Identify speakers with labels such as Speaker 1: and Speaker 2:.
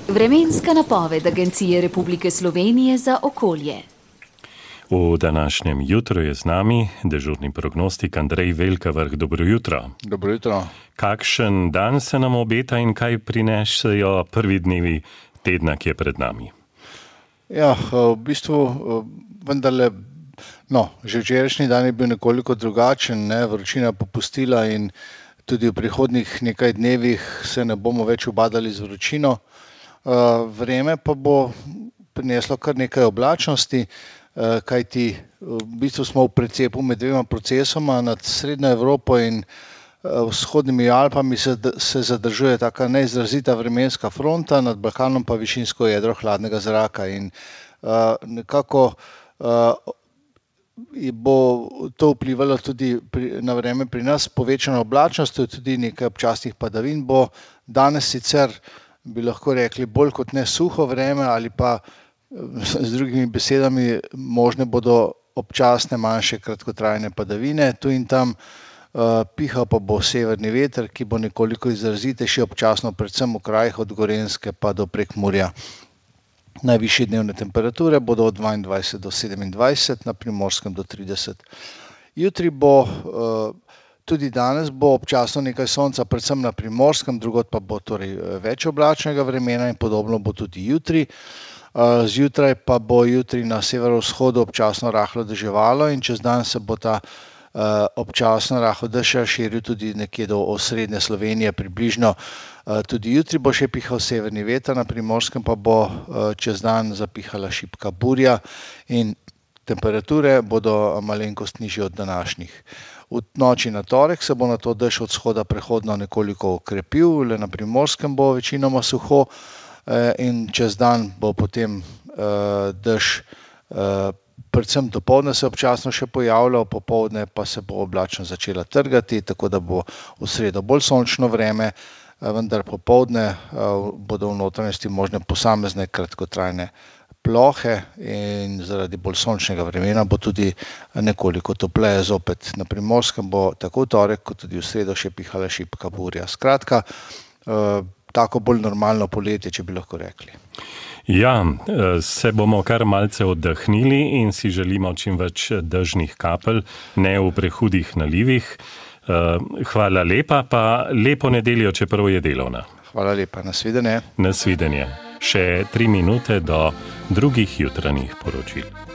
Speaker 1: Vremenska napoved Agencije Republike Slovenije za okolje.
Speaker 2: V današnjem jutru je z nami dežurni prognostik Andrej Velkavrh. Dobro jutro.
Speaker 3: Dobro jutro.
Speaker 2: Kakšen dan se nam obeta in kaj prinesejo prvi dnevi tedna, ki je pred nami?
Speaker 3: Ja, v bistvu vendarle, že včerajšnji dan je bil nekoliko drugačen, vročina popustila in tudi v prihodnjih nekaj dnevih se ne bomo več ubadali z vročino. Vreme pa bo prineslo kar nekaj oblačnosti, kajti v bistvu smo v precepu med dvema procesoma. Nad Srednjo Evropo in vzhodnimi Alpami se zadržuje taka neizrazita vremenska fronta, nad Balkanom pa višinsko jedro hladnega zraka in nekako bo to vplivalo tudi na vreme pri nas. Povečano oblačnost, tudi nekaj občasnih padavin bo. Danes sicer bi lahko rekli bolj kot ne suho vreme, ali pa z drugimi besedami možne bodo občasne manjše kratkotrajne padavine. Tu in tam pihal pa bo severni veter, ki bo nekoliko izrazitejši občasno, predvsem v krajih od Gorenjske pa do Prekmurja. Najvišje dnevne temperature bodo od 22 do 27, na Primorskem do 30. Jutri bo, tudi danes bo občasno nekaj sonca, predvsem na Primorskem, drugod pa bo torej več oblačnega vremena in podobno bo tudi jutri. Zjutraj pa bo jutri na severovzhodu občasno rahlo deževalo in čez dan se bo ta občasno rahel dež širil tudi nekje do osrednje Slovenije približno. Tudi jutri bo še pihal severni veter, na Primorskem pa bo čez dan zapihala šibka burja in temperature bodo malenkost nižje od današnjih. V noči na torek se bo nato dež od vzhoda prehodno nekoliko okrepil, le na Primorskem bo večinoma suho in čez dan bo potem dež predvsem dopoldne se občasno še pojavljal, popoldne pa se bo oblačnost začela trgati, tako da bo v sredo bolj sončno vreme, vendar popoldne bodo v notranjosti možne posamezne kratkotrajne plohe in zaradi bolj sončnega vremena bo tudi nekoliko topleje zopet. Na Primorskem bo tako v torek kot tudi v sredo še pihala šibka burja. Skratka, tako bolj normalno poletje, če bi lahko rekli.
Speaker 2: Ja, se bomo kar malce oddahnili in si želimo čim več dežnih kapelj, ne v prehudih nalivih. Hvala lepa, pa lepo nedeljo, čeprav je delovna.
Speaker 3: Hvala lepa, nasvidenje.
Speaker 2: Nasvidenje. Še 3 minute do drugih jutranjih poročil.